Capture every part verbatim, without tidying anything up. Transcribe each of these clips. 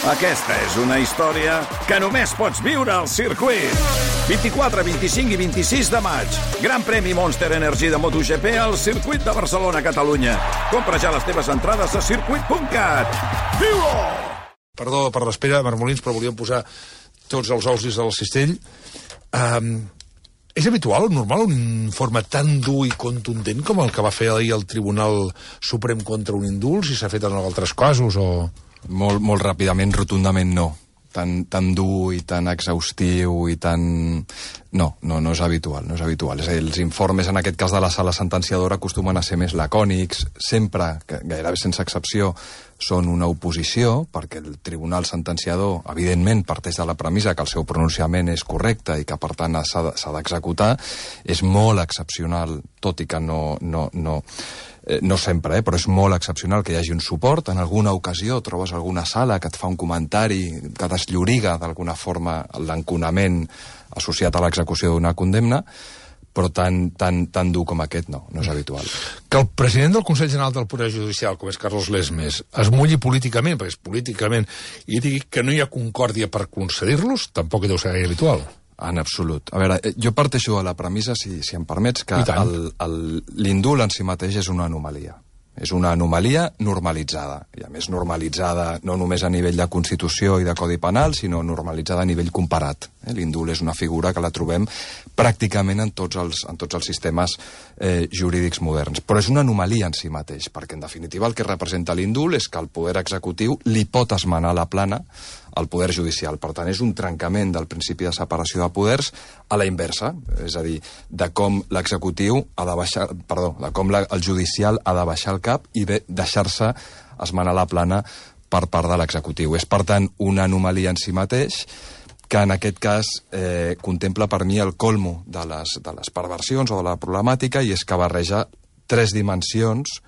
Aquesta és una història que només pots viure al circuit. vint-i-quatre, vint-i-cinc i vint-i-sis de maig. Gran premi Monster Energy de MotoGP al circuit de Barcelona, Catalunya. Compra ja les teves entrades a circuit punt cat. Viu-ho! Perdó per l'espera, Marmolins, però volíem posar tots els ous dins del cistell. Um, és habitual, normal, un informe tan dur i contundent com el que va fer ahir el Tribunal Suprem contra un indult, si s'ha fet en altres casos o... Molt, molt ràpidament, rotundament no. Tan, tan dur i tan exhaustiu i tan... No, no, no és habitual, no és habitual. És a dir, els informes, en aquest cas de la sala sentenciadora, acostumen a ser més lacònics, sempre, gairebé sense excepció, són una oposició, perquè el tribunal sentenciador, evidentment, parteix de la premissa que el seu pronunciament és correcte i que, per tant, s'ha d'executar. És molt excepcional, tot i que no... no, no Eh, no sempre, eh, però és molt excepcional que hi hagi un suport. En alguna ocasió trobes alguna sala que et fa un comentari que deslloriga d'alguna forma l'enconament associat a l'execució d'una condemna, però tan, tan, tan dur com aquest no, no és habitual. Que el president del Consell General del Poder Judicial, com és Carlos Lesmes, es mulli políticament, perquè és políticament, i digui que no hi ha concòrdia per concedir-los, tampoc deu ser gaire habitual. En absolut. A veure, jo parteixo de la premissa, si, si em permets, que l'indult en si mateix és una anomalia. És una anomalia normalitzada. I a més normalitzada no només a nivell de Constitució i de Codi Penal, sinó normalitzada a nivell comparat. Eh? L'indult és una figura que la trobem pràcticament en tots els, en tots els sistemes eh, jurídics moderns. Però és una anomalia en si mateix, perquè en definitiva el que representa l'indult és que el poder executiu li pot esmenar la plana al poder judicial. Per tant, és un trencament del principi de separació de poders a la inversa, és a dir, de com l'executiu ha de baixar, perdó, de com la, el judicial ha de baixar el cap i de deixar-se esmenar la plana per part de l'executiu. És, per tant, una anomalia en si mateix que en aquest cas eh, contempla per mi el colmo de les, de les perversions o de la problemàtica, i és que barreja tres dimensions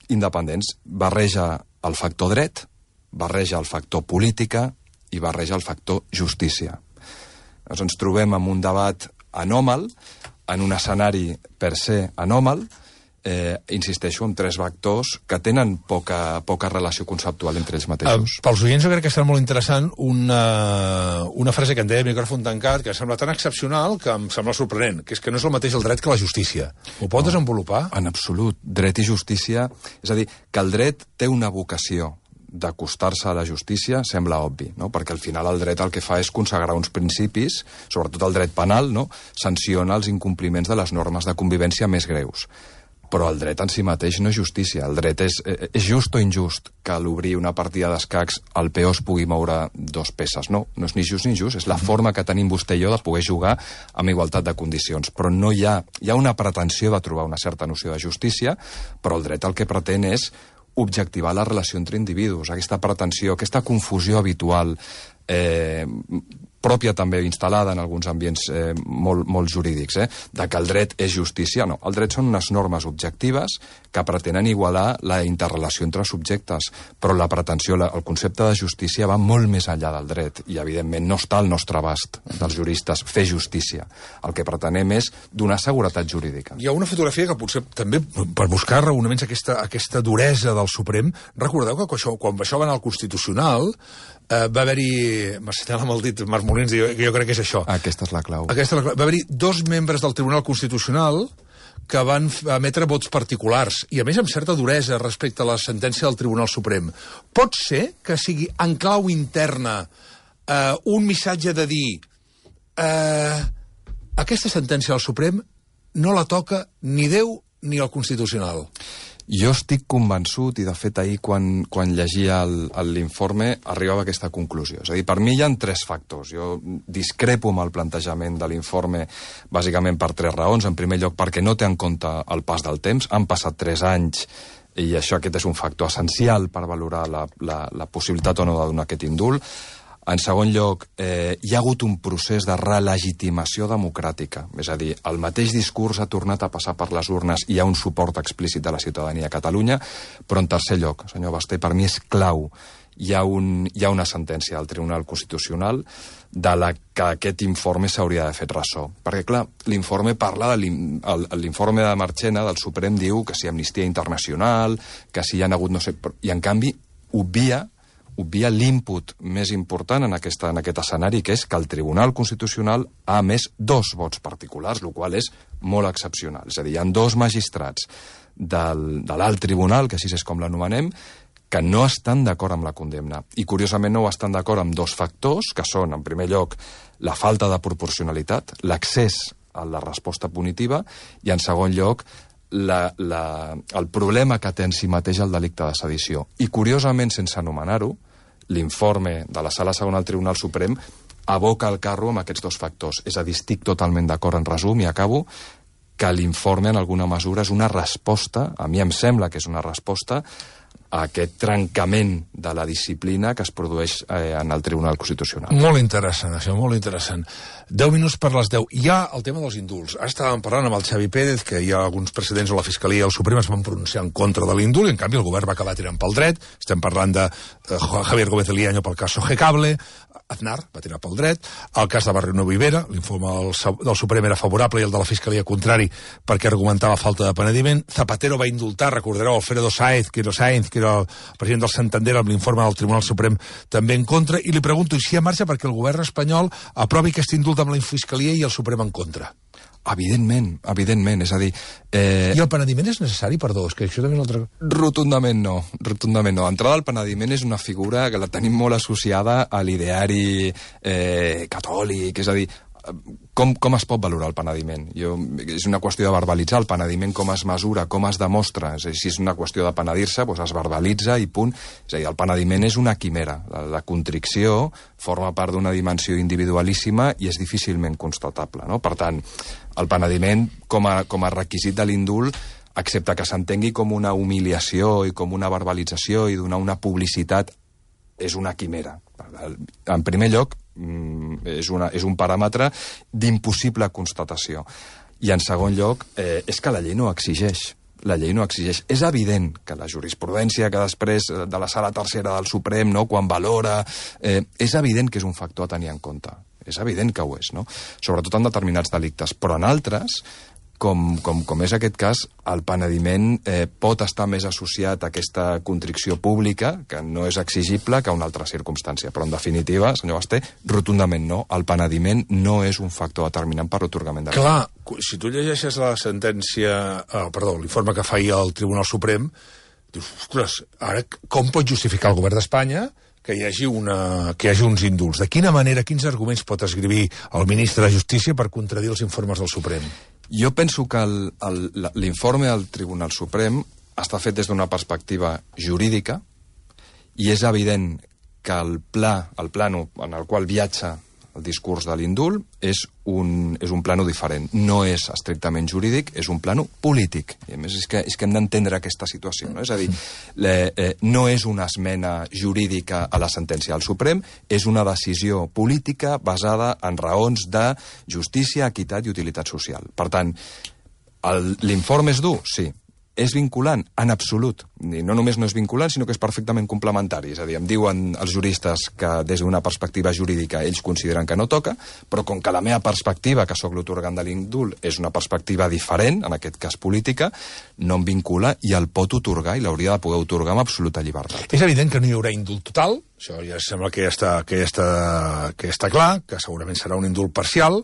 independents. Barreja el factor dret, barreja el factor política i barreja el factor justícia. Llavors ens trobem en un debat anòmal, en un escenari per se anòmal, eh, insisteixo, amb tres vectors que tenen poca, poca relació conceptual entre ells mateixos. Uh, pels oients jo crec que serà molt interessant una, una frase que en deia micròfon tancat, que em sembla tan excepcional que em sembla sorprenent, que és que no és el mateix el dret que la justícia. Ho pot no, desenvolupar? En absolut. Dret i justícia... És a dir, que el dret té una vocació d'acostar-se a la justícia sembla obvi, no? Perquè al final el dret el que fa és consagrar uns principis, sobretot el dret penal, no? Sanciona els incompliments de les normes de convivència més greus. Però el dret en si mateix no és justícia. El dret és, és just o injust que a l'obrir una partida d'escacs el peó es pugui moure dos peces. No, no és ni just ni injust, és la forma que tenim vostè i jo de poder jugar amb igualtat de condicions. Però no hi ha, hi ha una pretensió de trobar una certa noció de justícia, però el dret el que pretén és objectivar la relació entre individus, aquesta pretensió, aquesta confusió habitual, eh, pròpia també instal·lada en alguns ambients eh, molt, molt jurídics, eh, de que el dret és justícia. No, el dret són unes normes objectives que pretenen igualar la interrelació entre subjectes, però la pretensió, la, el concepte de justícia va molt més enllà del dret i, evidentment, no està al nostre abast dels juristes fer justícia. El que pretenem és donar seguretat jurídica. Hi ha una fotografia que potser també, per buscar raonaments aquesta, aquesta duresa del Suprem, recordeu que quan això, quan això va anar al Constitucional, eh, va haver-hi, m'assenyala amb el dit Marc Molins, jo, jo crec que és això. Aquesta és la clau. Aquesta és la clau. Va haver-hi dos membres del Tribunal Constitucional que van emetre vots particulars, i a més amb certa duresa respecte a la sentència del Tribunal Suprem. Pot ser que sigui en clau interna eh, un missatge de dir eh, aquesta sentència del Suprem no la toca ni Déu ni el Constitucional? Jo estic convençut, i de fet ahir quan, quan llegia l'informe arribava a aquesta conclusió. És a dir, per mi hi ha tres factors. Jo discrepo amb el plantejament de l'informe bàsicament per tres raons. En primer lloc, perquè no té en compte el pas del temps. Han passat tres anys i això aquest és un factor essencial per valorar la, la, la possibilitat o no de donar aquest indult. En segon lloc, eh, hi ha hagut un procés de relegitimació democràtica. És a dir, el mateix discurs ha tornat a passar per les urnes i hi ha un suport explícit de la ciutadania a Catalunya. Però en tercer lloc, senyor Basté, per mi és clau. Hi ha, un, hi ha una sentència del Tribunal Constitucional de la que aquest informe s'hauria de fer ressò. Perquè, clar, l'informe parla de l'informe de Marchena del Suprem, diu que si Amnistia Internacional, que si hi ha hagut no sé... I, en canvi, obvia obvia l'input més important en, aquesta, en aquest escenari, que és que el Tribunal Constitucional ha emès dos vots particulars, el qual és molt excepcional. És a dir, hi ha dos magistrats del, de l'alt tribunal, que així és com l'anomenem, que no estan d'acord amb la condemna. I, curiosament, no estan d'acord amb dos factors, que són, en primer lloc, la falta de proporcionalitat, l'accés a la resposta punitiva, i, en segon lloc, la, la, el problema que té en si mateix el delicte de sedició. I, curiosament, sense anomenar-ho, l'informe de la Sala Segona del Tribunal Suprem aboca el carro amb aquests dos factors. És a dir, estic totalment d'acord, en resum, i acabo, que l'informe, en alguna mesura, és una resposta, a mi em sembla que és una resposta, a aquest trencament de la disciplina que es produeix eh, en el Tribunal Constitucional. Molt interessant, això, molt interessant. Deu minuts per les deu. Hi ha el tema dels indults. Ara estàvem parlant amb el Xavi Pérez, que hi ha alguns precedents on la Fiscalia i el Suprem es van pronunciar en contra de l'indult, i en canvi el govern va acabar tirant pel dret. Estem parlant de eh, Javier Gómez Eliaño pel cas Sogecable, Aznar va tirar pel dret, el cas de Barrino Vivera, l'informe del, del Suprem era favorable i el de la Fiscalia contrari perquè argumentava falta de penediment. Zapatero va indultar, recordareu, Alfredo Sáenz, que era Sáenz, que era el president del Santander, amb l'informe del Tribunal Suprem també en contra, i li pregunto si hi ha marge perquè el govern espanyol aprovi aquest indult amb la Fiscalia i el Suprem en contra. Evidentment, evidentment, és a dir... Eh... I el penediment és necessari, perdó, és que això també és una altra... Rotundament no, rotundament no. Entrada al penediment és una figura que la tenim molt associada a l'ideari eh, catòlic, és a dir, com, com es pot valorar el penediment? Jo, és una qüestió de verbalitzar el penediment, com es mesura, com es demostra. És a dir, si és una qüestió de penedir-se, doncs es verbalitza i punt. És a dir, el penediment és una quimera. La, la contricció forma part d'una dimensió individualíssima i és difícilment constatable, no? Per tant, el penediment, com a, com a requisit de l'indult, excepte que s'entengui com una humiliació i com una verbalització i donar una publicitat, és una quimera. En primer lloc, és, una, és un paràmetre d'impossible constatació. I en segon lloc, eh, és que la llei no exigeix. La llei no exigeix. És evident que la jurisprudència que després de la Sala Tercera del Suprem, no, quan valora, eh, és evident que és un factor a tenir en compte. És evident que ho és, no? Sobretot en determinats delictes. Però en altres, com, com, com és aquest cas, el penediment eh, pot estar més associat a aquesta contricció pública, que no és exigible, que a una altra circumstància. Però, en definitiva, senyor Basté, rotundament no. El penediment no és un factor determinant per l'atorgament de... Clar, si tu llegeixes la sentència... Eh, perdó, l'informe que fa ahir el Tribunal Suprem, dius, ostres, ara com pot justificar el govern d'Espanya que hi hagi, una, que hi hagi uns indults? De quina manera, quins arguments pot escriure el ministre de Justícia per contradir els informes del Suprem? Jo penso que l'informe del Tribunal Suprem està fet des d'una perspectiva jurídica i és evident que el pla, el plano en el qual viatja el discurs de l'indult és un, és un plano diferent. No és estrictament jurídic, és un plano polític. I a més és que, és que hem d'entendre aquesta situació. No? És a dir, le, eh, no és una esmena jurídica a la sentència del Suprem, és una decisió política basada en raons de justícia, equitat i utilitat social. Per tant, l'informe és dur? Sí. És vinculant? En absolut. I no només no és vinculant, sinó que és perfectament complementari. És a dir, em diuen els juristes que des d'una perspectiva jurídica ells consideren que no toca, però com que la meva perspectiva, que sóc l'otorgant de l'indult, és una perspectiva diferent, en aquest cas política, no em vincula i el pot otorgar i l'hauria de poder otorgar amb absoluta llibertat. És evident que no hi haurà indult total, això ja sembla que ja està, que ja està, que ja està clar, que segurament serà un indult parcial.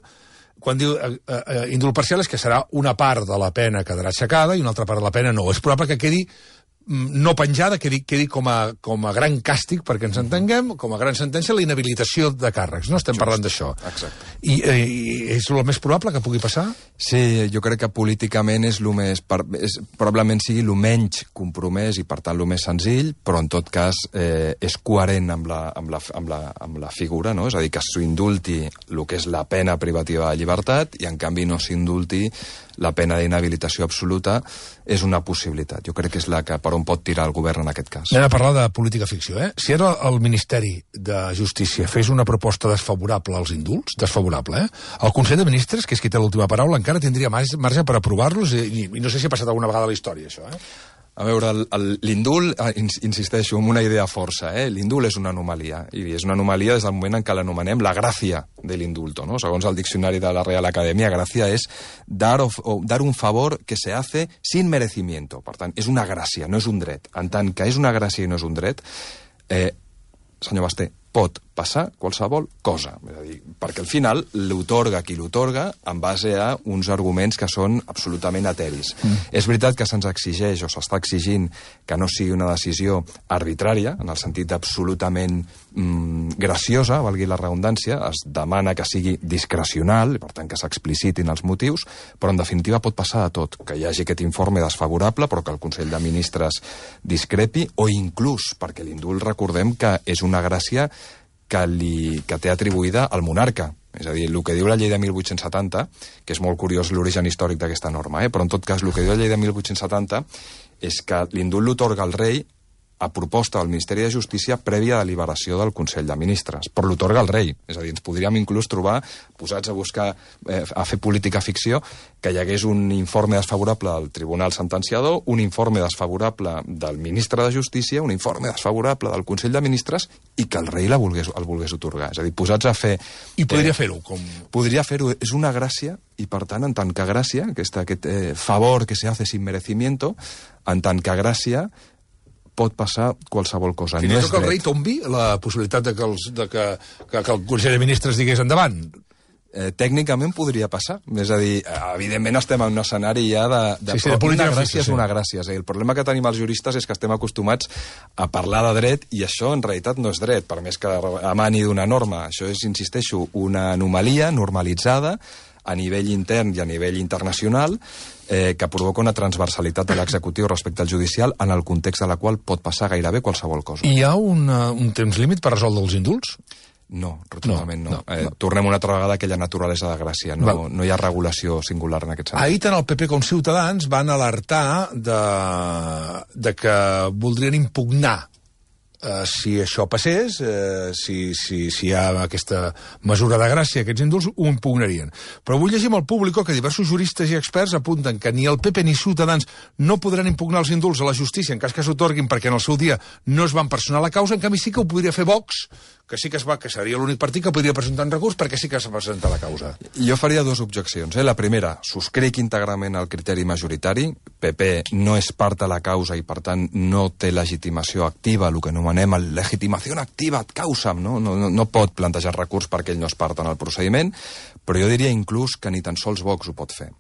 Quan diu eh, eh, indult parcial és que serà una part de la pena quedarà aixecada i una altra part de la pena no. És probable que quedi no penjada, quedi, quedi com, a, com a gran càstig, perquè ens entenguem, com a gran sentència, la inhabilitació de càrrecs. No estem Just, parlant d'això. Exacte. I, eh, I és el més probable que pugui passar? Sí, jo crec que políticament és, lo més, és probablement sigui el menys compromès i, per tant, el més senzill, però, en tot cas, eh, és coherent amb la, amb, la, amb, la, amb la figura, no? És a dir, que s'indulti el que és la pena privativa de llibertat i, en canvi, no s'indulti la pena d'inhabilitació absoluta. És una possibilitat. Jo crec que és la que per on pot tirar el govern en aquest cas. Anem a parlar de política ficció, eh? Si ara el Ministeri de Justícia fes una proposta desfavorable als indults, desfavorable, eh? El Consell de Ministres, que és qui té l'última paraula, encara tindria marge per aprovar-los i, i no sé si ha passat alguna vegada a la història, això, eh? A veure, l'indult, insisteixo, amb una idea força, eh? L'indult és una anomalia, i és una anomalia des del moment en què l'anomenem la gràcia de l'indulto, ¿no? Segons el diccionari de la Real Academia, gràcia és dar, o, o, dar un favor que se hace sin merecimiento. Per tant, és una gràcia, no és un dret. En tant que és una gràcia i no és un dret, eh, senyor Basté, pot passar qualsevol cosa. És a dir, perquè al final l'otorga qui l'otorga en base a uns arguments que són absolutament eteris. Mm. És veritat que se'ns exigeix o s'està exigint que no sigui una decisió arbitrària, en el sentit absolutament mm, graciosa, valgui la redundància, es demana que sigui discrecional, per tant que s'explicitin els motius, però en definitiva pot passar de tot, que hi hagi aquest informe desfavorable però que el Consell de Ministres discrepi, o inclús, perquè l'indult recordem que és una gràcia que, li, que té atribuïda al monarca. És a dir, el que diu la llei de mil vuit-cents setanta, que és molt curiós l'origen històric d'aquesta norma, eh? però en tot cas el que diu la llei de mil vuit-cents setanta és que l'indult l'otorga el rei a proposta del Ministeri de Justícia prèvia deliberació del Consell de Ministres. Però l'otorga el rei. És a dir, ens podríem inclús trobar, posats a buscar, eh, a fer política ficció, que hi hagués un informe desfavorable del Tribunal Sentenciador, un informe desfavorable del Ministre de Justícia, un informe desfavorable del Consell de Ministres i que el rei la volgués, el volgués otorgar. És a dir, posats a fer... I podria eh, fer-ho. Com... Podria fer-ho. És una gràcia i, per tant, en tant que gràcia, aquest, aquest eh, favor que se hace sin merecimiento, en tant que gràcia, pot passar qualsevol cosa. Fins i tot que el rei tombi la possibilitat de que, els, de que, que, que el Consell de Ministres digués endavant. Eh, tècnicament podria passar. És a dir, evidentment estem en un escenari ja de... de, sí, sí, de política una gràcia és una gràcia. És a dir, el problema que tenim els juristes és que estem acostumats a parlar de dret i això en realitat no és dret, per més que emani d'una norma. Això és, insisteixo, una anomalia normalitzada a nivell intern i a nivell internacional eh, que provoca una transversalitat de l'executiu respecte al judicial en el context de la qual pot passar gairebé qualsevol cosa. Hi ha una, un temps límit per resoldre els indults? No, rotundament no. no. no, eh, no. Tornem una altra vegada a aquella naturalesa de gràcia. No, no hi ha regulació singular en aquest sentit. Ahir tant el P P com Ciutadans van alertar de, de que voldrien impugnar Uh, si això passés, uh, si, si, si hi ha aquesta mesura de gràcia, aquests indults, ho impugnarien. Però vull llegir amb el públic que diversos juristes i experts apunten que ni el P P ni Ciutadans no podran impugnar els indults a la justícia en cas que s'otorguin perquè en el seu dia no es van personar la causa, en canvi sí que ho podria fer Vox, que sí que es va, que seria l'únic partit que podria presentar un recurs perquè sí que s'ha presentat la causa. Jo faria dues objeccions. Eh? La primera, subscric íntegrament el criteri majoritari. P P no és part de la causa i, per tant, no té legitimació activa, el que anomenem el legitimació activa ad causam, no? No, no, no pot plantejar recurs perquè ell no és part en el procediment, però jo diria inclús que ni tan sols Vox ho pot fer.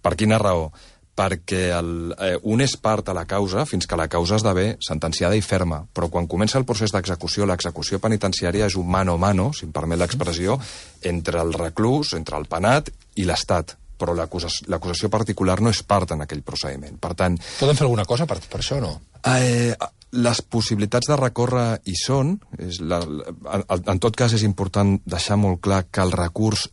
Per quina raó? Perquè el, eh, un és part a la causa fins que la causa esdevé sentenciada i ferma, però quan comença el procés d'execució, l'execució penitenciària és un mano a mano, si em permet l'expressió, entre el reclús, entre el penat i l'Estat, però l'acusació particular no és part en aquell procediment. Per tant... Poden fer alguna cosa per, per això o no? Eh, les possibilitats de recórrer hi són. És la, la, en tot cas és important deixar molt clar que el recurs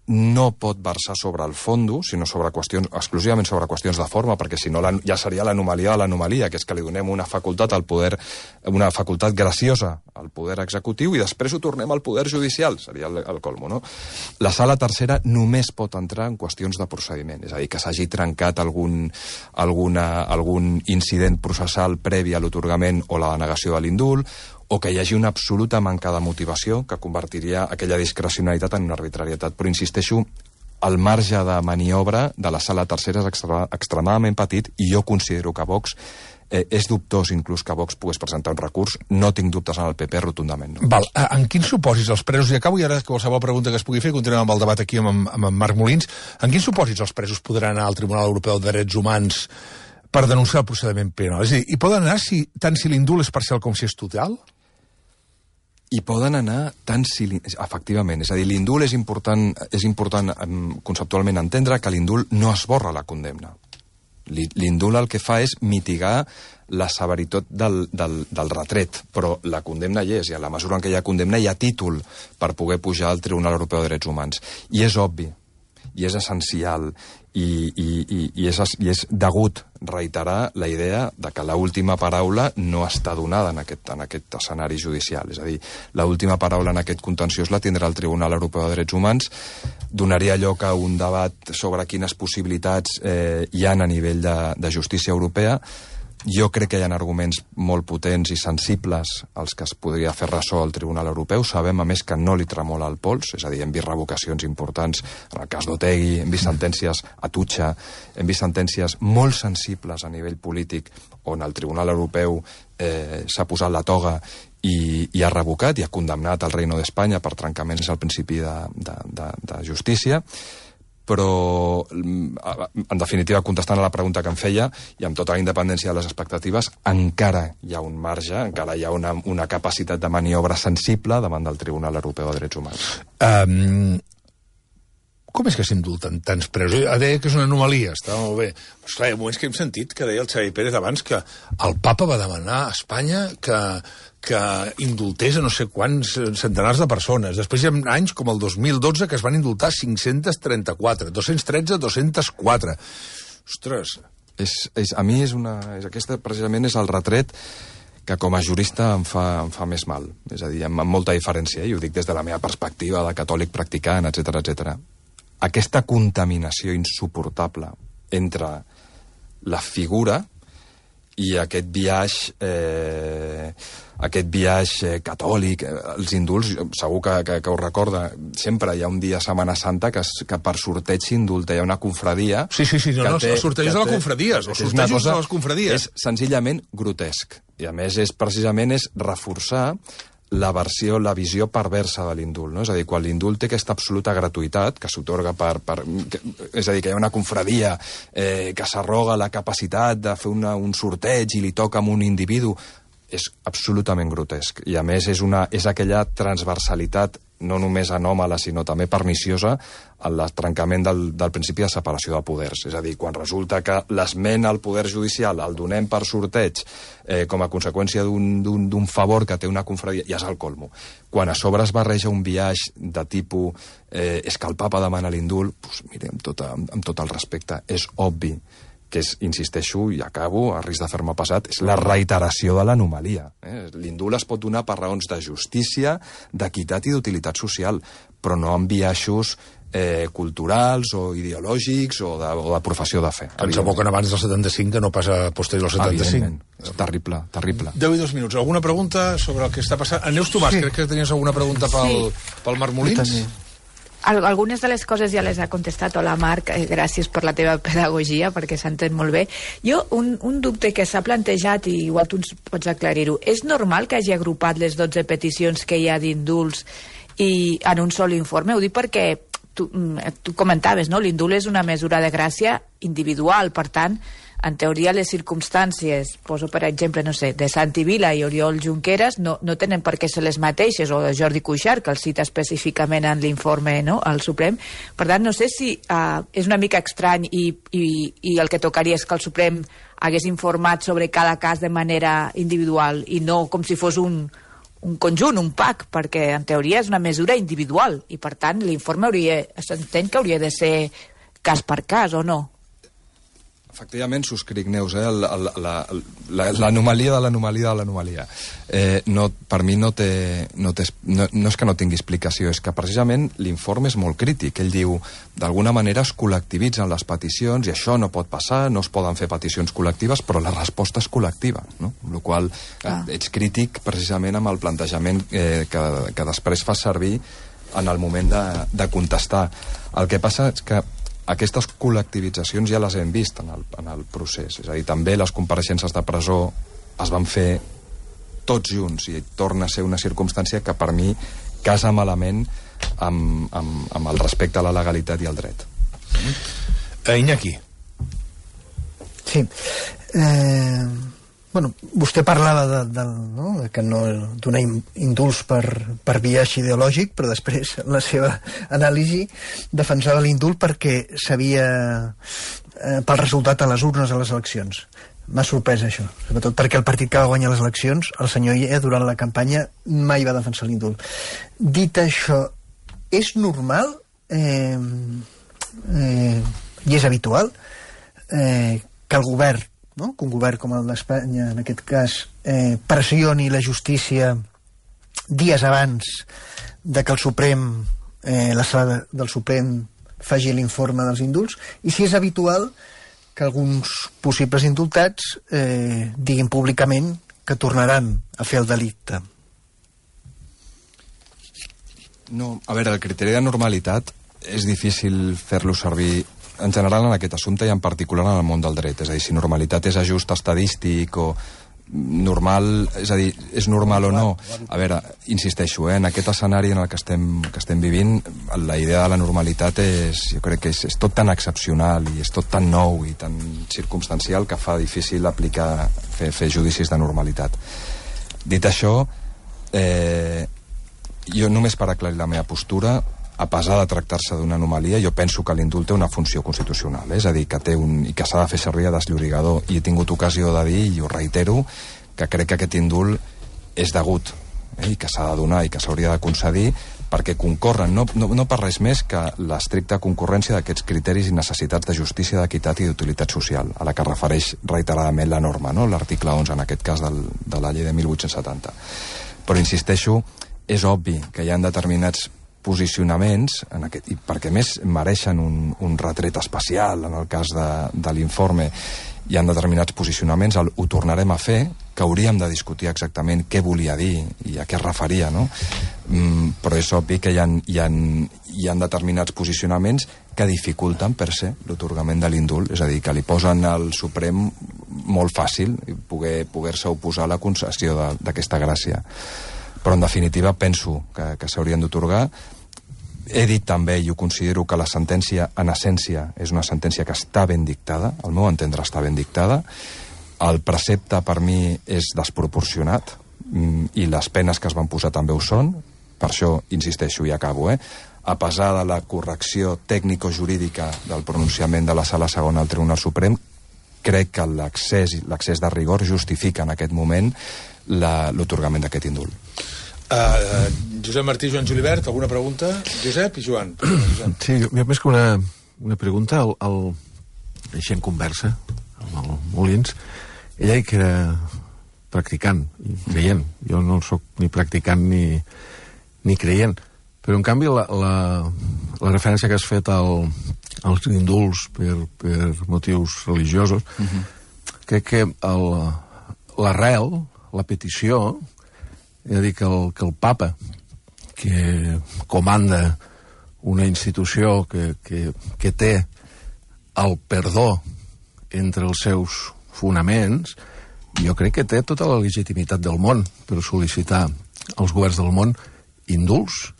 no pot versar sobre el fondo, sinó sobre qüestions, exclusivament sobre qüestions de forma, perquè si no la, ja seria l'anomalia de l'anomalia, que és que li donem una facultat al poder, una facultat graciosa al poder executiu i després ho tornem al poder judicial, seria el, el colmo, no? La sala tercera només pot entrar en qüestions de procediment, és a dir, que s'hagi trencat algun, alguna, algun incident processal previ a l'otorgament o la denegació de l'indult, o que hi hagi una absoluta manca de motivació que convertiria aquella discrecionalitat en una arbitrarietat. Però insisteixo, el marge de maniobra de la sala tercera és extra, extremadament petit i jo considero que Vox eh, és dubtós inclús que Vox pogués presentar un recurs. No tinc dubtes en el P P, rotundament. No. Val. En quins supòsits els presos, i acabo i ara qualsevol pregunta que es pugui fer, continuem amb el debat aquí amb, amb en Marc Molins, en quins supòsits els presos podran anar al Tribunal Europeu de Drets Humans per denunciar el procediment penal? És a dir, hi poden anar si, tant si l'indult és parcial com si és total? I poden anar tant si... Efectivament, és a dir, l'indult és important, és important conceptualment entendre que l'indult no esborra la condemna. L'indult el que fa és mitigar la severitat del, del, del retret, però la condemna hi és, i a la mesura en què hi ha condemna hi ha títol per poder pujar al Tribunal Europeu de Drets Humans. I és obvi, i és essencial, i, i, i, i, és, i és degut reiterar la idea de que l'última paraula no està donada en aquest, en aquest escenari judicial. És a dir, l'última paraula en aquest contenciós la tindrà el Tribunal Europeu de Drets Humans, donaria lloc a un debat sobre quines possibilitats eh, hi ha a nivell de, de justícia europea, Jo crec que hi ha arguments molt potents i sensibles als que es podria fer ressò al Tribunal Europeu. Sabem, a més, que no li tremola el pols, és a dir, hem vist revocacions importants en el cas d'Otegi, hem vist sentències a Tutxa, hem vist sentències molt sensibles a nivell polític on el Tribunal Europeu eh, s'ha posat la toga i, i ha revocat i ha condemnat el Reino d'Espanya per trencaments al principi de, de, de, de justícia. Però, en definitiva, contestant a la pregunta que em feia, i amb tota la independència de les expectatives, encara hi ha un marge, encara hi ha una, una capacitat de maniobra sensible davant del Tribunal Europeu de Drets Humans. Um, com és que s'indulten tants presos? Deia que és una anomalia, està molt bé. Però, esclar, hi ha moments que hem sentit que deia el Xavi Pérez abans que el papa va demanar a Espanya que... que indultés a no sé quants centenars de persones. Després hi ha anys com el dos mil dotze que es van indultar cinc-cents trenta-quatre, dos-cents tretze, dos-cents quatre. Ostres! És, és, a mi és una... És, aquesta precisament és el retret que com a jurista em fa, em fa més mal. És a dir, amb, amb molta diferència, eh? I ho dic des de la meva perspectiva de catòlic practicant, etcètera, etcètera. Aquesta contaminació insuportable entre la figura i aquest biaix eh, aquest biaix eh, catòlic, eh, els indults, segur que, que, que ho recorda, sempre hi ha un dia Setmana Santa que, que per sorteig s'indulta, hi ha una confradia... Sí, sí, sí, no, no, els sortejos de les confradies, els sortejos de les confradies. És senzillament grotesc, i a més és precisament és reforçar la versió, la visió perversa de l'indult, no? És a dir, quan l'indult té aquesta absoluta gratuïtat que s'atorga per, per... És a dir, que hi ha una confradia eh, que s'arroga la capacitat de fer una, un sorteig i li toca a un individu, és absolutament grotesc. I a més és, una, és aquella transversalitat no només anòmala, sinó també perniciosa en el trencament del, del principi de separació de poders. És a dir, quan resulta que l'esment al poder judicial el donem per sorteig eh, com a conseqüència d'un favor que té una confradia, ja és el colmo. Quan a sobre es barreja un biaix de tipus eh, és que el papa demana l'indult, doncs, mire, amb, tota, amb tot el respecte, és obvi que és, insisteixo, i acabo, a risc de fer-me passat, és la reiteració de l'anomalia. Eh? L'indult es pot donar per raons de justícia, d'equitat i d'utilitat social, però no amb biaixos eh, culturals o ideològics o de, o de professió de fe. Que ens aboquen abans del setanta-cinc que no passa posterior al setanta-cinc. És terrible, terrible. deu i dos minuts. Alguna pregunta sobre el que està passant? Neus Tomàs, sí. Crec que tenies alguna pregunta pel, sí. pel Marc Molins? Algunes de les coses ja les ha contestat. Hola, Marc, eh, gràcies per la teva pedagogia, perquè s'entén molt bé. Jo, un, un dubte que s'ha plantejat, i igual tu ens pots aclarir-ho, és normal que hagi agrupat les dotze peticions que hi ha d'indults i en un sol informe? Ho dic perquè tu, tu comentaves, no? L'indult és una mesura de gràcia individual, per tant, en teoria les circumstàncies, poso per exemple, no sé, de Santi Vila i Oriol Junqueras no, no tenen per què ser les mateixes, o de Jordi Cuixart, que el cita específicament en l'informe, no?, al Suprem. Per tant, no sé si uh, és una mica estrany i, i, i el que tocaria és que el Suprem hagués informat sobre cada cas de manera individual i no com si fos un, un conjunt, un pack, perquè en teoria és una mesura individual i per tant l'informe hauria, s'entén que hauria de ser cas per cas, o no? Efectivament, subscric, Neus, eh? l'anomalia de l'anomalia de l'anomalia. Eh, no, per mi no, té, no, té, no, no és que no tingui explicació, és que precisament l'informe és molt crític. Ell diu, d'alguna manera es col·lectivitzen les peticions i això no pot passar, no es poden fer peticions col·lectives, però la resposta és col·lectiva, no? Amb la qual cosa ah. ets crític precisament amb el plantejament eh, que, que després fa servir en el moment de, de contestar. El que passa és que aquestes col·lectivitzacions ja les hem vist en el, en el procés. És a dir, també les compareixences de presó es van fer tots junts i torna a ser una circumstància que per mi casa malament amb, amb, amb el respecte a la legalitat i al dret. Eh, Iñaki. Sí. Eh, bueno, vostè parlava de, de, no, de que no donar indults per, per biaix ideològic, però després en la seva anàlisi defensava l'indult perquè s'havia eh, pel resultat a les urnes a les eleccions. M'ha sorprès això, sobretot perquè el partit que va guanyar les eleccions, el senyor Illa, durant la campanya mai va defensar l'indult. Dit això, és normal eh, eh, i és habitual eh, que el govern, no? Que un govern com el d'Espanya, en aquest cas, eh, pressioni la justícia dies abans de que el Suprem, eh, la sala del Suprem faci l'informe dels indults, i si és habitual que alguns possibles indultats eh, diguin públicament que tornaran a fer el delicte. No, a veure, el criteri de normalitat és difícil fer-lo servir en general en aquest assumpte i en particular en el món del dret. És a dir, si normalitat és ajust estadístic o normal, és a dir, és normal o no. A veure, insisteixo, eh, en aquest escenari en el que estem, que estem vivint, la idea de la normalitat és, jo crec que és, és tot tan excepcional i és tot tan nou i tan circumstancial que fa difícil aplicar, fer, fer judicis de normalitat. Dit això, eh, jo només per aclarir la meva postura, a pesar de tractar-se d'una anomalia, jo penso que l'indult té una funció constitucional, eh? És a dir, que té un, i que s'ha de fer servir a desllorigador, i he tingut ocasió de dir, i ho reitero, que crec que aquest indult és degut, eh? I que s'ha de donar i que s'hauria de concedir, perquè concorren, no, no, no per res més que l'estricta concurrència d'aquests criteris i necessitats de justícia, d'equitat i d'utilitat social, a la que refereix reiteradament la norma, no? L'article onze, en aquest cas, del, de la llei de mil vuit-cents setanta. Però insisteixo, és obvi que hi ha determinats posicionaments, en aquest, i perquè més mereixen un, un retret especial en el cas de, de l'informe, hi ha determinats posicionaments, el, ho tornarem a fer, que hauríem de discutir exactament què volia dir i a què es referia, no? Mm, però és obvi que hi ha, hi, ha, hi ha determinats posicionaments que dificulten per se l'atorgament de l'indult, és a dir, que li posen al Suprem molt fàcil poder, poder-se oposar a la concessió d'aquesta gràcia. Però en definitiva penso que, que s'haurien d'atorgar. He dit també, i ho considero, que la sentència en essència és una sentència que està ben dictada, al meu entendre està ben dictada, el precepte per mi és desproporcionat i les penes que es van posar també ho són, per això insisteixo i acabo, eh? A pesar de la correcció tècnico-jurídica del pronunciament de la Sala Segona al Tribunal Suprem, crec que l'accés l'accés de rigor justifica en aquest moment l'atorgament d'aquest indult. Uh, uh, Josep Martí, Joan Julibert, alguna pregunta? Josep i Joan. Josep. Sí, jo, jo més que una, una pregunta, el, el, així en conversa, amb el Molins, ella que era practicant i creient. Jo no soc ni practicant ni, ni creient. Però, en canvi, la, la, la referència que has fet al, als indults per, per motius religiosos, uh-huh. crec que el, l'arrel, la petició, és a dir, que el, que el papa, que comanda una institució que, que, que té el perdó entre els seus fonaments, jo crec que té tota la legitimitat del món per sol·licitar als governs del món indults,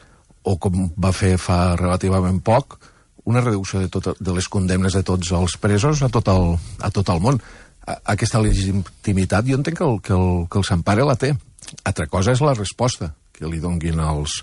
o com va fer fa relativament poc, una reducció de, tot, de les condemnes de tots els presos a tot el, a tot el món. A, aquesta legitimitat jo entenc que el, que el, que el Sempare la té. Altra cosa és la resposta que li donguin als,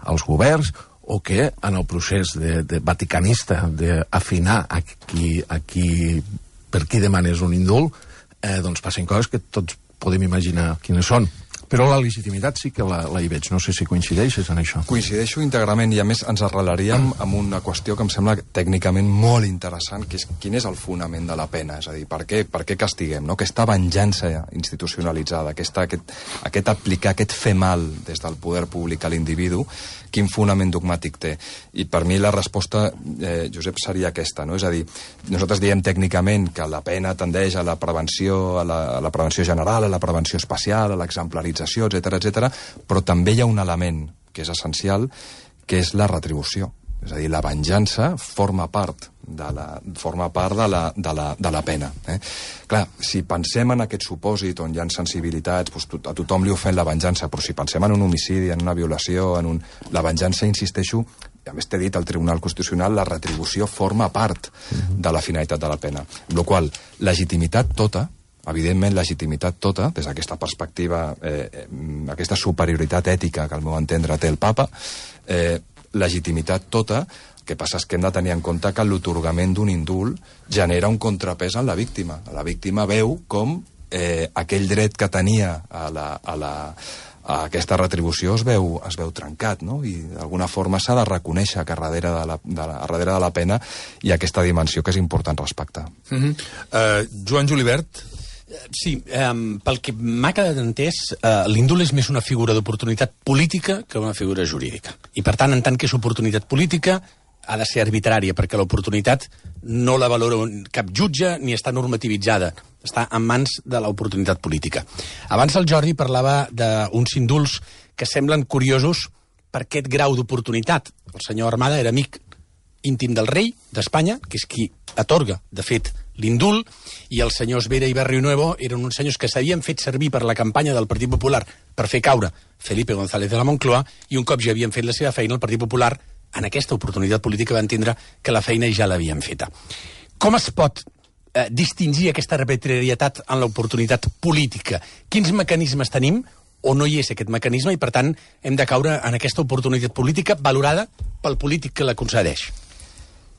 als governs, o que en el procés de, de vaticanista d'afinar a qui, a qui, per qui demanes un indult, eh, doncs passen coses que tots podem imaginar quines són. Però la legitimitat sí que la, la hi veig. No sé si coincideixes en això. Coincideixo íntegrament, i a més ens arrelaríem amb una qüestió que em sembla tècnicament molt interessant, que és quin és el fonament de la pena. És a dir, per què, per què castiguem? No? Aquesta venjança institucionalitzada, aquesta, aquest, aquest aplicar, aquest fer mal des del poder públic a l'individu, quin fonament dogmàtic té? I per mi la resposta, eh, Josep, seria aquesta, no? És a dir, nosaltres diem tècnicament que la pena tendeix a la prevenció, a la, a la prevenció general, a la prevenció especial, a l'exemplarització, etcètera, etcètera, però també hi ha un element que és essencial, que és la retribució. És a dir, la venjança forma part de la, forma part de la, de la, de la pena. Eh? Clar, si pensem en aquest supòsit on hi ha sensibilitats, doncs a tothom li ofèn la venjança, però si pensem en un homicidi, en una violació, en un... la venjança, insisteixo, i a més t'he dit al Tribunal Constitucional, la retribució forma part de la finalitat de la pena. Amb la qual cosa, legitimitat tota, evidentment legitimitat tota, des d'aquesta perspectiva, eh, aquesta superioritat ètica que al meu entendre té el Papa, eh, legitimitat tota, el que passa és que hem de tenir en compte que l'atorgament d'un indult genera un contrapès en la víctima. La víctima veu com eh, aquell dret que tenia a, la, a, la, a aquesta retribució es veu, es veu trencat, no? I d'alguna forma s'ha de reconèixer que darrere de, la, de, la, darrere de la pena hi ha aquesta dimensió que és important respectar. Mm-hmm. uh, Joan Julibert. Sí, um, pel que m'ha quedat entès, uh, l'indult és més una figura d'oportunitat política que una figura jurídica. I, per tant, en tant que és oportunitat política, ha de ser arbitrària, perquè l'oportunitat no la valora cap jutge ni està normativitzada. Està en mans de l'oportunitat política. Abans el Jordi parlava d'uns indults que semblen curiosos per aquest grau d'oportunitat. El senyor Armada era amic íntim del rei d'Espanya, que és qui atorga, de fet, l'indult, i els senyors Vera i Barrionuevo eren uns senyors que s'havien fet servir per la campanya del Partit Popular per fer caure Felipe González de la Moncloa, i un cop ja havien fet la seva feina, el Partit Popular, en aquesta oportunitat política, va entendre que la feina ja l'havien feta. Com es pot eh, distingir aquesta arbitrarietat en l'oportunitat política? Quins mecanismes tenim o no hi és aquest mecanisme i, per tant, hem de caure en aquesta oportunitat política valorada pel polític que la concedeix?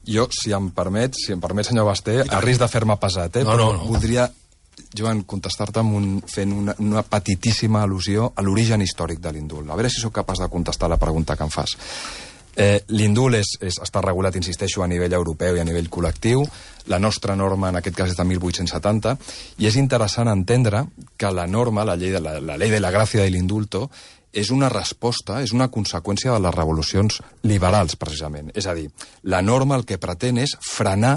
Jo, si em permet, si em permet, senyor Basté, a risc de fer-me pesat, eh? No, però no, no. voldria, Joan, contestar-te amb un, fent una, una petitíssima al·lusió a l'origen històric de l'indult. A veure si sóc capaç de contestar la pregunta que em fas. Eh, L'indult és, és, està regulat, insisteixo, a nivell europeu i a nivell col·lectiu. La nostra norma, en aquest cas, és de mil vuit-cents setanta, i és interessant entendre que la norma, la llei de la, la llei de la gràcia de l'indulto, és una resposta, és una conseqüència de les revolucions liberals, precisament. És a dir, la norma el que pretén és frenar,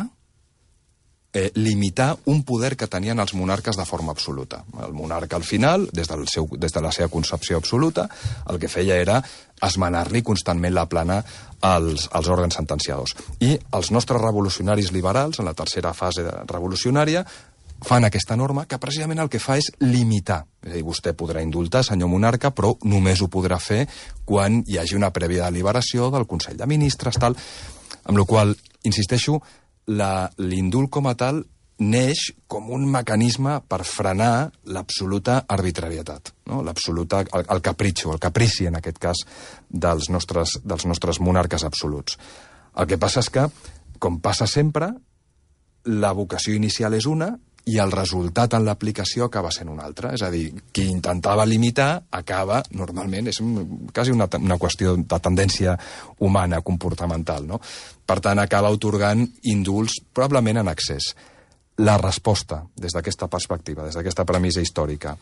eh, limitar un poder que tenien els monarques de forma absoluta. El monarca, al final, des, del seu, des de la seva concepció absoluta, el que feia era esmenar-li constantment la plana als, als òrgans sentenciadors. I els nostres revolucionaris liberals, en la tercera fase revolucionària, fan aquesta norma que precisament el que fa és limitar. És a dir, vostè podrà indultar, senyor monarca, però només ho podrà fer quan hi hagi una prèvia deliberació del Consell de Ministres, tal. Amb la qual cosa, insisteixo, l'indult com a tal neix com un mecanisme per frenar l'absoluta arbitrarietat, no? L'absoluta, el, el capritxo, el caprici, en aquest cas, dels nostres, dels nostres monarques absoluts. El que passa és que, com passa sempre, la vocació inicial és una i el resultat en l'aplicació acaba sent un altre. És a dir, qui intentava limitar acaba, normalment, és un, quasi una, una qüestió de tendència humana, comportamental, no? Per tant, acaba atorgant indults probablement en excés. La resposta, des d'aquesta perspectiva, des d'aquesta premissa històrica,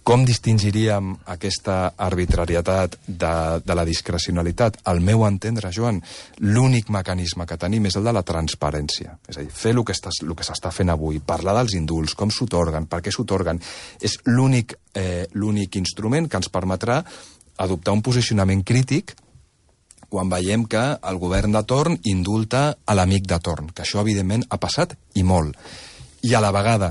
com distingiríem aquesta arbitrarietat de, de la discrecionalitat? Al meu entendre, Joan, l'únic mecanisme que tenim és el de la transparència. És a dir, fer el que s'està fent avui, parlar dels indults, com s'otorguen, per què s'otorguen, és l'únic eh, l'únic instrument que ens permetrà adoptar un posicionament crític quan veiem que el govern de torn indulta a l'amic de torn, que això, evidentment, ha passat i molt. I a la vegada,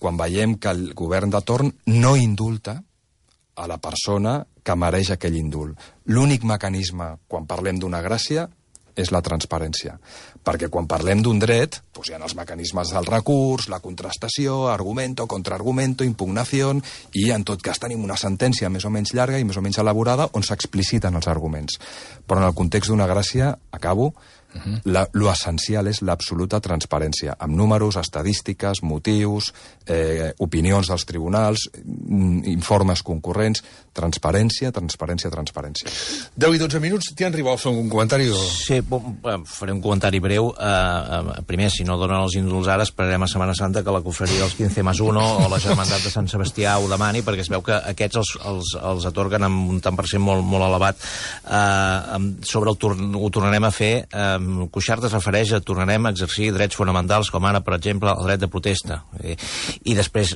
quan veiem que el govern de torn no indulta a la persona que mereix aquell indult. L'únic mecanisme, quan parlem d'una gràcia, és la transparència. Perquè quan parlem d'un dret, doncs hi ha els mecanismes del recurs, la contrastació, argumento, contraargumento, impugnació, i en tot cas tenim una sentència més o menys llarga i més o menys elaborada on s'expliciten els arguments. Però en el context d'una gràcia, acabo, Uh-huh. La, lo essencial és l'absoluta transparència, amb números, estadístiques, motius, eh, opinions dels tribunals, informes concurrents, transparència, transparència, transparència. deu i dotze minuts, t'hi han arribat a fer un comentari? O... Sí, bon, faré un comentari breu. Uh, primer, si no donen els indults ara, esperarem a Setmana Santa que la confraria dels quinze més uno o la Germandat de Sant Sebastià ho demani, perquè es veu que aquests els, els, els atorguen amb un tant per cent molt, molt elevat. Uh, sobre el torn, ho tornarem a fer... Uh, Cuixart es refereix a tornarem a exercir drets fonamentals com ara, per exemple, el dret de protesta. I, i després,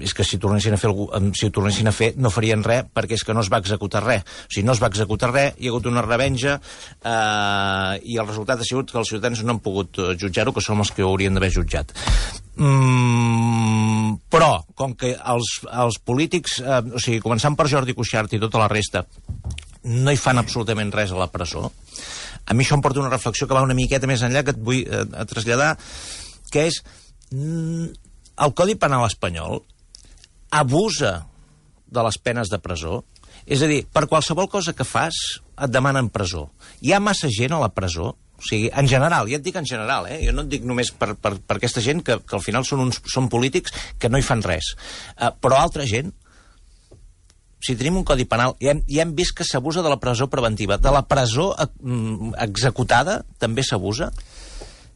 és que si tornessin a fer algú, si ho tornessin a fer no farien res perquè és que no es va executar res. O sigui, no es va executar res, hi ha hagut una revenja eh, i el resultat ha sigut que els ciutadans no han pogut jutjar-ho, que són els que ho haurien d'haver jutjat. Mm, però, com que els, els polítics, eh, o sigui, començant per Jordi Cuixart i tota la resta, no hi fan absolutament res a la presó, a mi això em porta una reflexió que va una miqueta més enllà, que et vull eh, traslladar, que és mm, el Codi Penal espanyol abusa de les penes de presó. És a dir, per qualsevol cosa que fas et demanen presó. Hi ha massa gent a la presó, o sigui, en general, ja et dic en general, eh? Jo no et dic només per, per, per aquesta gent que, que al final són, uns, són polítics que no hi fan res. Uh, però altra gent, si tenim un codi penal, ja hem, ja hem vist que s'abusa de la presó preventiva. De la presó eh, executada també s'abusa?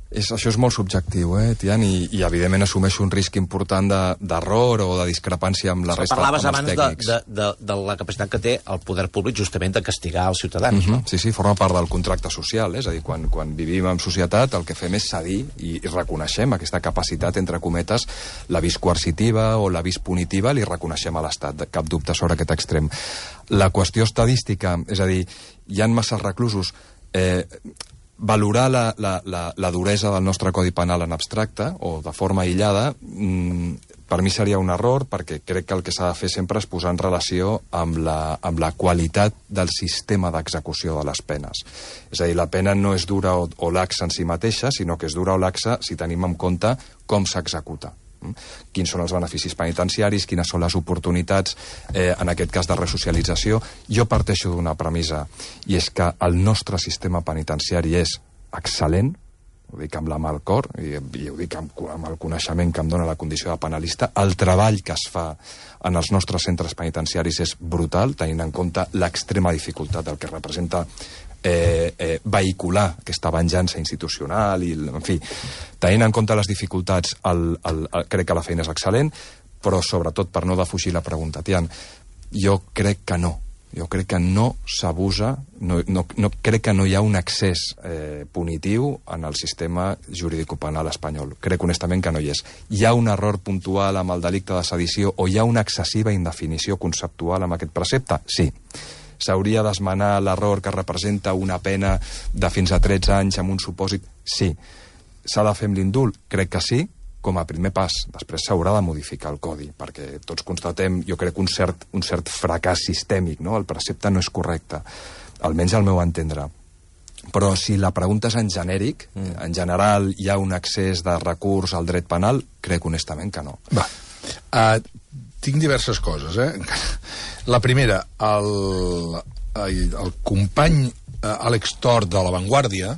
És, això és molt subjectiu, eh, Tian, i, i evidentment assumeixo un risc important d'error de, o de discrepància amb la resta amb els tècnics. Parlaves abans de, de, de, de la capacitat que té el poder públic justament de castigar els ciutadans, uh-huh. no? Sí, sí, forma part del contracte social, eh? És a dir, quan, quan vivim en societat el que fem és cedir i, i reconeixem aquesta capacitat, entre cometes, l'avís coercitiva o l'avís punitiva, li reconeixem a l'Estat, cap dubte sobre aquest extrem. La qüestió estadística, és a dir, hi ha masses reclusos... Eh, valorar la, la, la, la duresa del nostre Codi Penal en abstracte o de forma aïllada, mmm, per mi seria un error, perquè crec que el que s'ha de fer sempre és posar en relació amb la, amb la qualitat del sistema d'execució de les penes. És a dir, la pena no és dura o, o laxa en si mateixa, sinó que és dura o laxa si tenim en compte com s'executa. Quins són els beneficis penitenciaris, quines són les oportunitats, eh, en aquest cas de resocialització. Jo parteixo d'una premissa, i és que el nostre sistema penitenciari és excel·lent, ho dic amb la mà al cor, i, i ho dic amb, amb el coneixement que em dona la condició de penalista. El treball que es fa en els nostres centres penitenciaris és brutal, tenint en compte l'extrema dificultat del que representa Eh, eh, vehicular aquesta venjança institucional i, en fi, tenint en compte les dificultats el, el, el, crec que la feina és excel·lent, però sobretot per no defugir la pregunta, Tian, jo crec que no jo crec que no s'abusa no, no, no, crec que no hi ha un excés eh, punitiu en el sistema jurídico-penal espanyol, crec honestament que no hi és. Hi ha un error puntual amb el delicte de sedició o hi ha una excessiva indefinició conceptual amb aquest precepte? Sí. S'hauria d'esmenar l'error que representa una pena de fins a tretze anys amb un supòsit? Sí. S'ha de fer amb l'indult? Crec que sí, com a primer pas. Després s'haurà de modificar el codi, perquè tots constatem, jo crec, un cert, un cert fracàs sistèmic, no? El precepte no és correcte, almenys al meu entendre. Però si la pregunta és en genèric, mm. en general hi ha un excés de recurs al dret penal, crec honestament que no. Va, uh, tinc diverses coses, eh? La primera, el, el company Àlex Tort de La Vanguardia,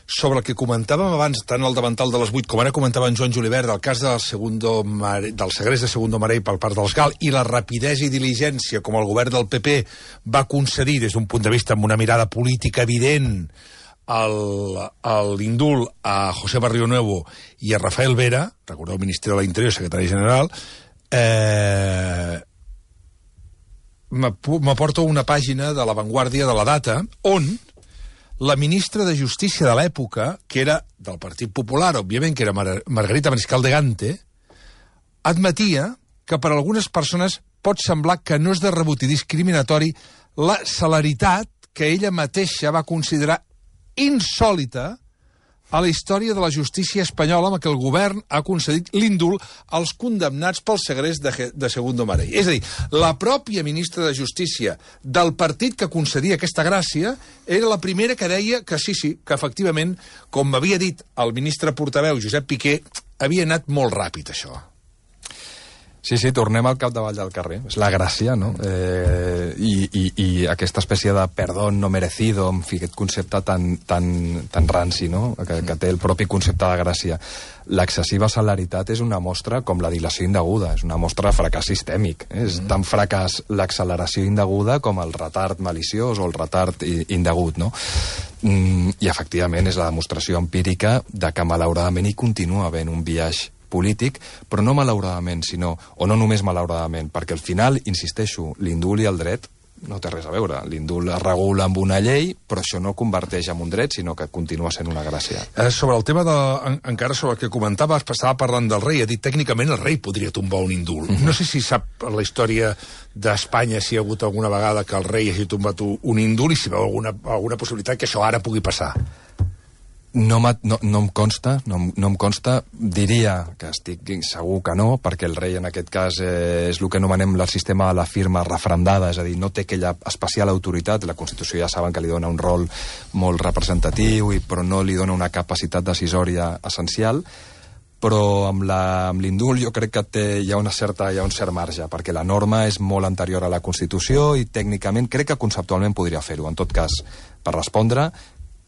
sobre el que comentàvem abans, tant al davantal de les vuit, com ara comentava en Joan Julivert, del cas del, segundo Mare, del segrest de Segundo Marell per part dels GAL, i la rapidesa i diligència com el govern del P P va concedir, des d'un punt de vista amb una mirada política evident, l'indult a José Barrionuevo i a Rafael Vera, recordeu, ministre de l'Interior, secretari general, eh... m'aporto una pàgina de La Vanguardia de la Data, on la ministra de Justícia de l'època, que era del Partit Popular, òbviament, que era Mar Margarita Mariscal de Gante, admetia que per a algunes persones pot semblar que no és de rebut i discriminatori la celeritat que ella mateixa va considerar insòlita a la història de la justícia espanyola amb què el govern ha concedit l'indult als condemnats pel segrest de, de Segundo Marell. És a dir, la pròpia ministra de Justícia del partit que concedia aquesta gràcia era la primera que deia que sí, sí, que efectivament, com m'havia dit el ministre portaveu Josep Piqué, havia anat molt ràpid, això. Sí, sí, tornem al capdavall del carrer. És la gràcia, no? Eh, i, i, I aquesta espècie de perdón no merecido, en fi, aquest concepte tan, tan, tan ranci, no?, que, que té el propi concepte de gràcia. L'excessiva celeritat és una mostra com la dilació indeguda, és una mostra de fracàs sistèmic. Eh? És tan fracàs l'acceleració indeguda com el retard maliciós o el retard indegut, no? Mm, I, efectivament, és la demostració empírica de que, malauradament, hi continua havent un biaix polític, però no malauradament, sinó, o no només malauradament, perquè al final, insisteixo, l'indult i el dret no té res a veure. L'indult es regula amb una llei, però això no converteix en un dret, sinó que continua sent una gràcia. Eh, sobre el tema de... En, encara sobre el que comentaves, estava parlant del rei, ha dit tècnicament el rei podria tombar un indult. Mm-hmm. No sé si sap la història d'Espanya si hi ha hagut alguna vegada que el rei hagi tombat un indult i si veu alguna, alguna possibilitat que això ara pugui passar. No, no, no em consta, no, no em consta, diria que estic segur que no, perquè el rei en aquest cas eh, és el que anomenem el sistema de la firma referendada, és a dir, no té aquella especial autoritat, la Constitució ja saben que li dona un rol molt representatiu, i, però no li dona una capacitat decisòria essencial, però amb l'indult jo crec que té, hi ha una certa, hi ha un cert marge, perquè la norma és molt anterior a la Constitució i tècnicament crec que conceptualment podria fer-ho. En tot cas, per respondre,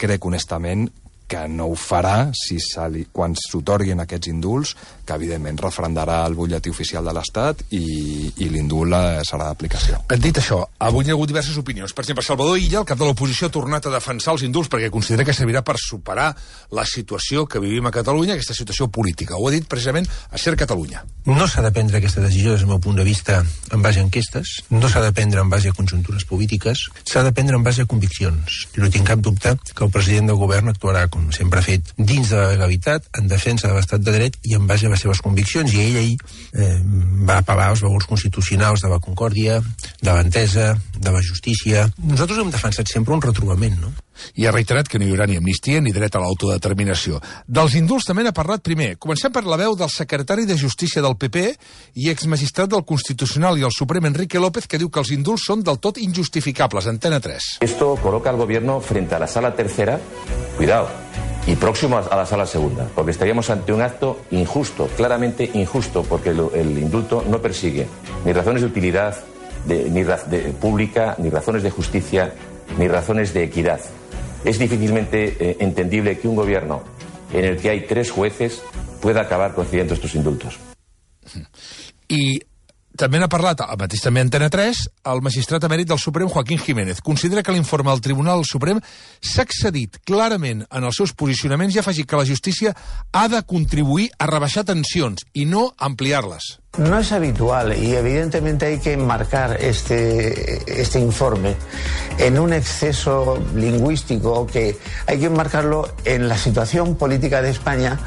crec honestament que no ho farà si li, quan s'otorguin aquests indults, que evidentment refrendarà el butlletí oficial de l'Estat i, i l'indult serà d'aplicació. Dit això, avui hi ha hagut diverses opinions. Per exemple, Salvador Illa, el cap de l'oposició, ha tornat a defensar els indults perquè considera que servirà per superar la situació que vivim a Catalunya, aquesta situació política. Ho ha dit precisament a Ser Catalunya. No s'ha de prendre aquesta decisió des del meu punt de vista en base a enquestes, no s'ha de prendre en base a conjuntures polítiques, s'ha de prendre en base a conviccions. I no tinc cap dubte que el president del govern actuarà, com sempre ha fet, dins de la legalitat, en defensa de l'estat de dret i en base a les seves conviccions. I ell ahir eh, va apel·lar als valors constitucionals de la concòrdia, de l'entesa, de la justícia. Nosaltres hem defensat sempre un retrobament, no? I ha reiterat que no hi haurà ni amnistia ni dret a l'autodeterminació. Dels indults també n'ha parlat primer. Comencem per la veu del secretari de Justícia del P P i exmagistrat del Constitucional i el Suprem, Enrique López, que diu que els indults són del tot injustificables. Antena tres. Esto coloca al gobierno frente a la sala tercera, cuidado, y próximo a la sala segunda, porque estaríamos ante un acto injusto, claramente injusto, porque lo, el indulto no persigue ni razones de utilidad de, ni ra, de, pública, ni razones de justicia, ni razones de equidad. Es difícilmente eh, entendible que un gobierno en el que hay tres jueces pueda acabar concediendo estos indultos. I també n'ha parlat, al mateix també Antena tres, el magistrat emèrit del Suprem, Joaquín Jiménez. Considera que l'informe del Tribunal Suprem s'ha excedit clarament en els seus posicionaments i ha afegit que la justícia ha de contribuir a rebaixar tensions i no ampliar-les. No es habitual y evidentemente hay que enmarcar este, este informe en un exceso lingüístico que hay que enmarcarlo en la situación política de España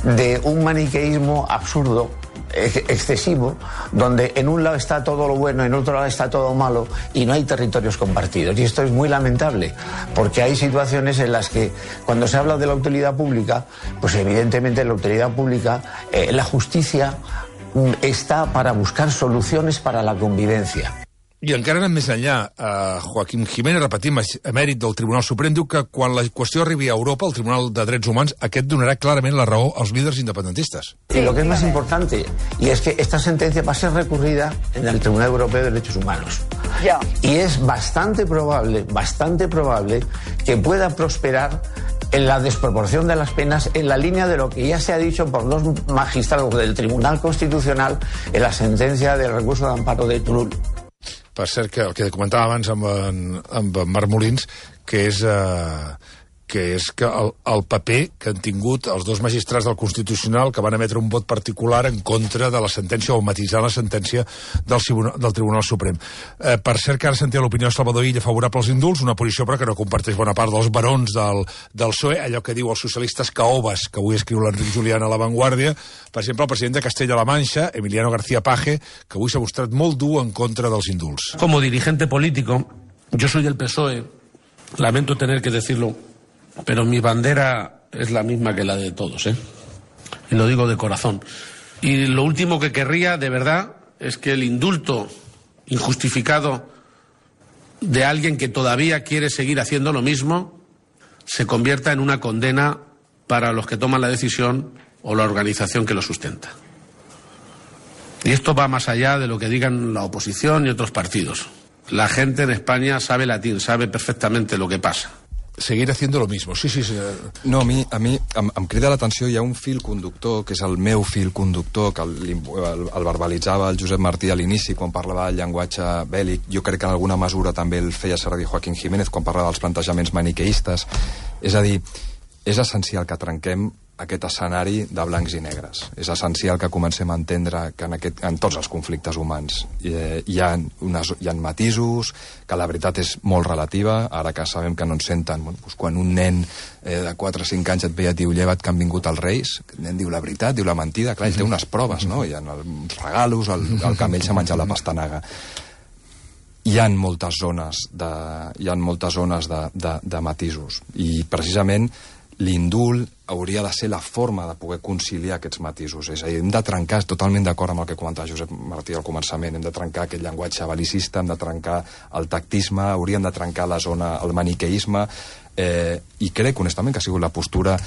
de un maniqueísmo absurdo, excesivo, donde en un lado está todo lo bueno, en otro lado está todo malo y no hay territorios compartidos. Y esto es muy lamentable, porque hay situaciones en las que cuando se habla de la utilidad pública, pues evidentemente la utilidad pública, eh, la justicia está para buscar soluciones para la convivencia. I encara anem més enllà. Uh, Joaquín Jiménez, repetim, emèrit del Tribunal Suprem, diu que quan la qüestió arribi a Europa, el Tribunal de Drets Humans, aquest donarà clarament la raó als líders independentistes. Y lo que es más importante, y es que esta sentencia va a ser recurrida en el Tribunal Europeo de Derechos Humanos. Ya. Y es bastante probable, bastante probable que pueda prosperar en la desproporción de las penas, en la línea de lo que ya se ha dicho por dos magistrados del Tribunal Constitucional en la sentencia del recurso de amparo de Turull. Per cert, que el que comentava abans amb en, amb en Marc Molins, que és, eh, que, és que el, el paper que han tingut els dos magistrats del Constitucional que van emetre un vot particular en contra de la sentència o matisar la sentència del, del Tribunal Suprem. Eh, per cert, que ara sentia l'opinió de Salvador Illa favorable als indults, una posició però que no comparteix bona part dels barons del, del P S O E, allò que diu els socialistes caobas, que avui escriu l'Enric Julián a La Vanguardia. Per exemple, el president de Castella-La Manxa, Emiliano García Paje, que avui s'ha mostrat molt dur en contra dels indults. Como dirigente político, yo soy del P S O E, lamento tener que decirlo, pero mi bandera es la misma que la de todos, ¿eh? Y lo digo de corazón. Y lo último que querría, de verdad, es que el indulto injustificado de alguien que todavía quiere seguir haciendo lo mismo se convierta en una condena para los que toman la decisión o la organización que lo sustenta. Y esto va más allá de lo que digan la oposición y otros partidos. La gente en España sabe latín, sabe perfectamente lo que pasa. Seguir haciendo lo mismo, sí, sí, sí. No, a mi, a mi em, em crida l'atenció, hi ha un fil conductor, que és el meu fil conductor, que el, el, el verbalitzava el Josep Martí a l'inici quan parlava del llenguatge bèl·lic. Jo crec que en alguna mesura també el feia servir Joaquín Jiménez quan parlava dels plantejaments maniqueistes. És a dir, és essencial que trenquem aquest escenari de blancs i negres. És essencial que comencem a entendre que en, aquest, en tots els conflictes humans hi, hi, ha unes, hi ha matisos, que la veritat és molt relativa, ara que sabem que no ens senten. Bueno, doncs quan un nen eh, de quatre o cinc anys et ve i et diu lleva't que han vingut els reis, el nen diu la veritat, diu la mentida, clar, ell té unes proves, no? Hi ha els regalos, el, el camell s'ha menjat la pastanaga. Hi ha moltes zones de, hi ha moltes zones de, de, de matisos, i precisament l'indult hauria de ser la forma de poder conciliar aquests matisos. És a dir, hem de trencar, totalment d'acord amb el que comentava Josep Martí al començament, hem de trencar aquest llenguatge bel·licista, hem de trencar el tactisme, hauríem de trencar la zona, el maniqueisme, eh, i crec, honestament, que ha sigut la postura,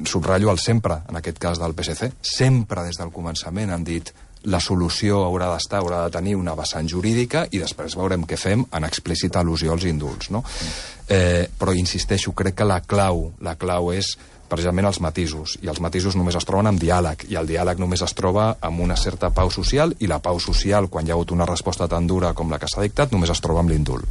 subratllo el sempre, en aquest cas del P S C, sempre des del començament han dit la solució haurà d'estar, haurà de tenir una vessant jurídica i després veurem què fem en explícita al·lusió als indults, no? Eh, però insisteixo, crec que la clau, la clau és precisament els matisos, i els matisos només es troben amb diàleg, i el diàleg només es troba amb una certa pau social, i la pau social, quan hi ha hagut una resposta tan dura com la que s'ha dictat, només es troba amb l'indult.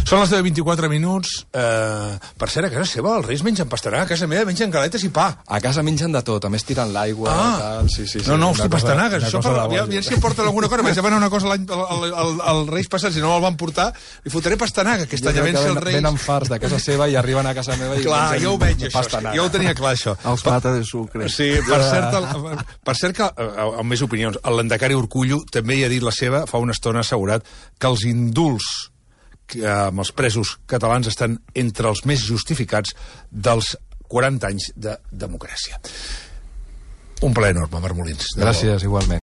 Són les deu vint-i-quatre minuts. Eh, per cert, a casa seva els reis mengen pastanaga, a casa meva mengen galetes i pa. A casa mengen de tot, a més tiren l'aigua, ah. tal, sí, sí, sí. No, no, hosti, pastanagues, això per... Aviam si em porten alguna cosa, vaig demanar una cosa al, al, al, al Reis passats, si no me'l van portar, li fotré pastanaga, aquest any a vèncer els Reis. Venen farts de casa seva i arriben a casa meva i clar, jo ho veig, això, jo ho tenia clar, això. Els plata de sucre. Sí, per cert, el, per cert que, amb més opinions, el Lendakari Urkullu també hi ha dit la seva, fa una estona assegurat, que els indults que, amb els presos catalans estan entre els més justificats dels quaranta anys de democràcia. Un plaer enorme, Marc Molins. Gràcies, igualment.